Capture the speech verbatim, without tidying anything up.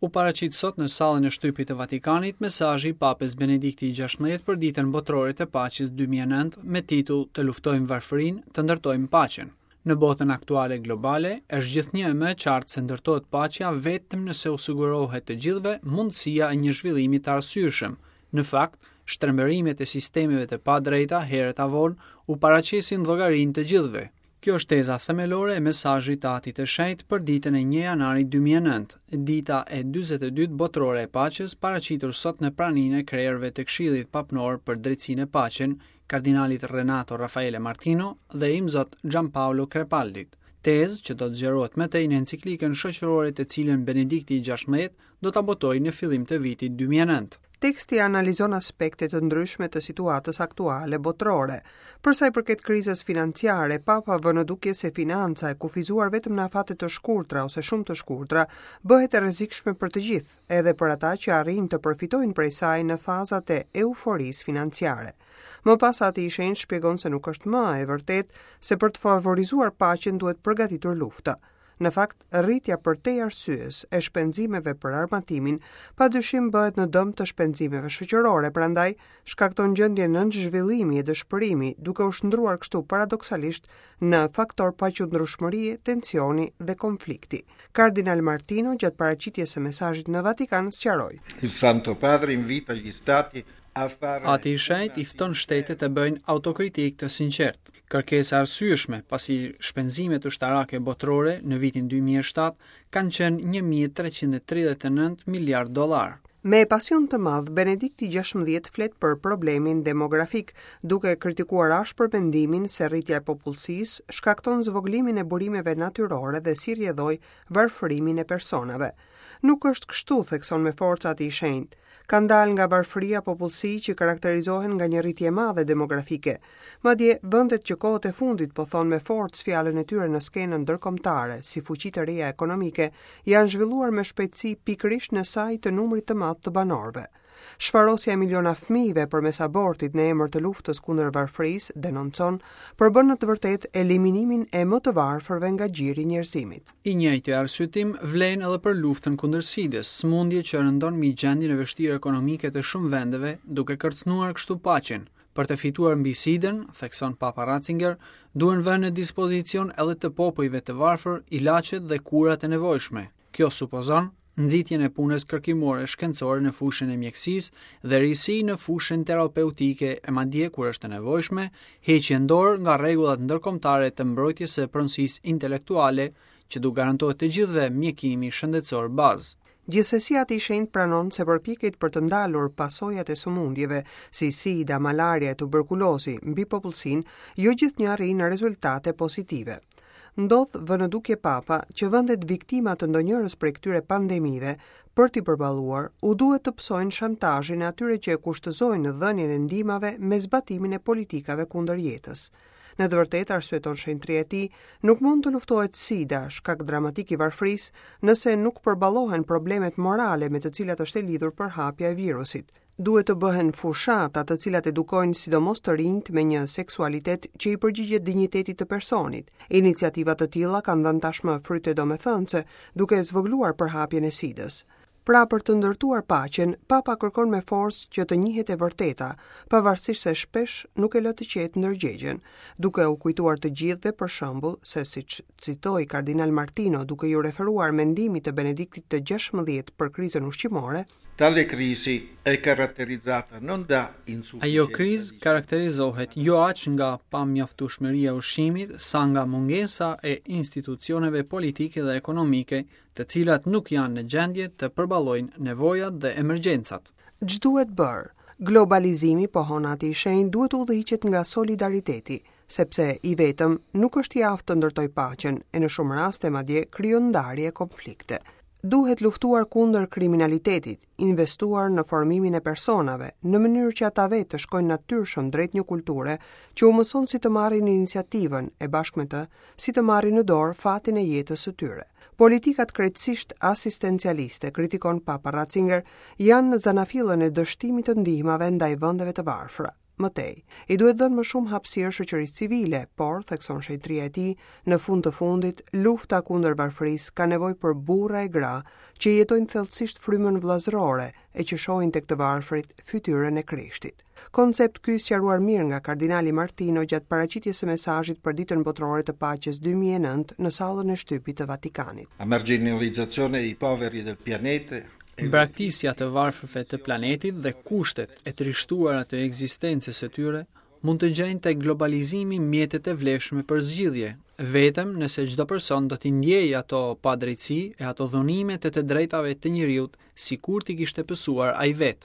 U paraqit sot në sallën e shtypit të Vatikanit mesazhi i Papës Benedikti gjashtëmbëdhjetë për Ditën Botërore të Paqes dy mijë e nëntë me titull Të luftojmë varfërinë, të ndërtojmë paqen. Në botën aktuale globale është gjithnjë e më e qartë se ndërtohet paqja vetëm nëse u sigurohet të gjithëve mundësia e një zhvillimi të arsyeshëm. Në fakt, shtrembërimet e sistemeve të padrejta herët a vonë u paraqesin llogarinë të gjithëve. Kjo është teza themelore e mesazhit të Atit të Shenjtë për ditën e një janarit dy mijë e nëntë, dita e dyzet e dytë botërore e paqes, paraqitur sot në praninë e krerëve të Këshillit Papnor për Drejtsinë e Paqen, kardinalit Renato Raffaele Martino dhe imzot Gianpaolo Crepaldit. Tezë që do të zgjerohet më tej në enciklikën shoqërore të cilën Benedikti i gjashtëmbëdhjetë do ta botojë në fillim të vitit dy mijë e nëntë. Teksti analizon aspekte të ndryshme të situatës aktuale botërore. Për sa i përket krizës financiare, Papa vë në dukje se financa e kufizuar vetëm në afate të shkurtra ose shumë të shkurtra bëhet e rrezikshme për të gjithë, edhe për ata që arrijnë të përfitojnë prej saj në fazat e euforisë financiare. Më pas Ati i Shenjtë shpjegon se nuk është më e vërtetë se për të favorizuar paqen duhet përgatitur lufta. Në fakt, rritja për te arsyes e shpenzimeve për armatimin padyshim bëhet në dëm të shpenzimeve shoqërore, prandaj shkakton gjendje nënzhvillimi e dëshpërimi, duke u shndruar kështu paradoksalisht në faktor paqëndrueshmërie, tensioni dhe konflikti. Kardinal Martino gjatë paraqitjes së mesazhit në Vatikan sqaroi: Il Santo Padre invita gli stati a fare Ati i Shenjtë i fton shtetet të bëjnë autokritik të sinqert. Kërkesa arsyeshme, pasi shpenzimet ushtarake botërore në vitin dy mijë e shtatë kanë qenë një mijë e treqind e tridhjetë e nëntë miliard dollar. Me pasion të madh, Benedikti gjashtëmbëdhjetë flet për problemin demografik, duke kritikuar ashpër mendimin se rritja e popullsisë shkakton zvogëlimin e burimeve natyrore dhe si rrjedhoj varfërimin e personave. Nuk është kështu, thekson me forcë Ati i Shenjtë. Kanë dalë nga varfëria popullsi që karakterizohen nga një rritje e madhe demografike. Madje, vendet që kohët e fundit po thonë me forcë fjalën e tyre në skenën ndërkombëtare, si fuqi të reja ekonomike, janë zhvilluar me shpejtësi pikërisht në saj të numrit të madh të banorëve. Shfarosja e miliona fëmijëve përmes abortit në emër të luftës kundër varfërisë, denoncon, përbën në të vërtetë eliminimin e më të varfërve nga gjiri i njerëzimit. I njëjti arsyetim vlen edhe për luftën kundër sidës, sëmundje që rëndon mbi gjendjen e vështirë ekonomike të shumë vendeve, duke kërcënuar kështu paqen. Për të fituar mbi sidën, thekson Papa Ratzinger, duhen vënë në dispozicion edhe të popujve të varfër ilaçet dhe kurat e nevojshme. Kjo supozon nxitjen e punës kërkimore shkencore në fushën e mjekësisë dhe risi në fushën terapeutike e madje kur është e nevojshme, heqjen dorë nga rregullat ndërkombëtare të mbrojtjes së pronësisë intelektuale që du garantohet të gjithëve mjekimi shëndetësor bazë. Gjithsesi Ati i Shenjtë pranon se përpjekjet për të ndalur pasojat e sëmundjeve si sida, malaria e tuberkulozi mbi popullsinë jo gjithnjë arrijnë në rezultate pozitive. Ndodh vë në dukje Papa që vendet viktima të ndonjërës prej këtyre pandemive për t'i përballuar u duhet të pësojnë shantazhin e atyre që e kushtëzojnë dhënien e ndihmave me zbatimin e politikave kundër jetës. Në të vërtetë, arsyeton shenjtëria e tij, nuk mund të luftohet sida, shkak dramatik i varfërisë, nëse nuk përballohen problemet morale me të cilat është e lidhur përhapja e virusit. Duhet të bëhen fushata të cilat edukojnë sidomos të rinjt me një seksualitet që i përgjigjet dinjitetit të personit. Iniciativa të tilla kanë dhënë tashmë fryte domethënëse, duke zvogëluar përhapjen e sidës. Pra për të ndërtuar paqen, Papa kërkon me forcë që të njihet e vërteta, pavarësisht se shpesh nuk e lë të qetë ndërgjegjen, duke u kujtuar të gjithëve për shembull se siç citoi Kardinal Martino duke iu referuar mendimit të Benediktit të gjashtëmbëdhjetë për krizën ushqimore, Tale crisi è caratterizzata non da insufficienza Ajo krizë di karakterizohet jo aq nga pamjaftueshmëria e ushqimit, sa nga mungesa e institucioneve politike dhe ekonomike, të cilat nuk janë në gjendje të përballojnë nevojat dhe emergjencat. Ç'duhet bërë? Globalizimi, pohon Ati i Shenjtë, duhet të udhëhiqet nga solidariteti, sepse i vetëm nuk është i aftë të ndërtojë paqen, e në shumë raste madje krijon ndarje e konflikte. Duhet luftuar kundër kriminalitetit, investuar në formimin e personave, në mënyrë që ata vetë të shkojnë natyrshëm drejt një kulture që u mëson si të marrin iniciativën e bashkë me të, si të marrin në dorë fatin e jetës së tyre. Politikat krejtësisht asistencialiste, kritikon Papa Ratzinger, janë në zanafillën e dështimit të ndihmave ndaj vendeve të varfra. Më tej, i duhet dhënë më shumë hapësirë shoqërisë civile, por, thekson shenjtëria e tij, në fund të fundit, lufta kundër varfërisë ka nevojë për burra e gra që jetojnë thellësisht frymën vëllazërore e që shohin tek të varfrit fytyrën e Krishtit. Koncept ky i sqaruar mirë nga kardinali Martino gjatë paraqitjes së mesazhit për Ditën Botërore të Paqes dy mijë e nëntë në sallën e shtypit të Vatikanit. La marginalizzazione dei poveri del pianeta Braktisja të varfërve të planetit dhe kushtet e trishtuara të ekzistencës së tyre mund të gjejnë tek globalizimi mjetet e vlefshme për zgjidhje, vetëm nëse çdo person do t'i ndjejë ato padrejtësi e ato dhunime të të drejtave të njeriut sikur t'i kishte pësuar ai vetë.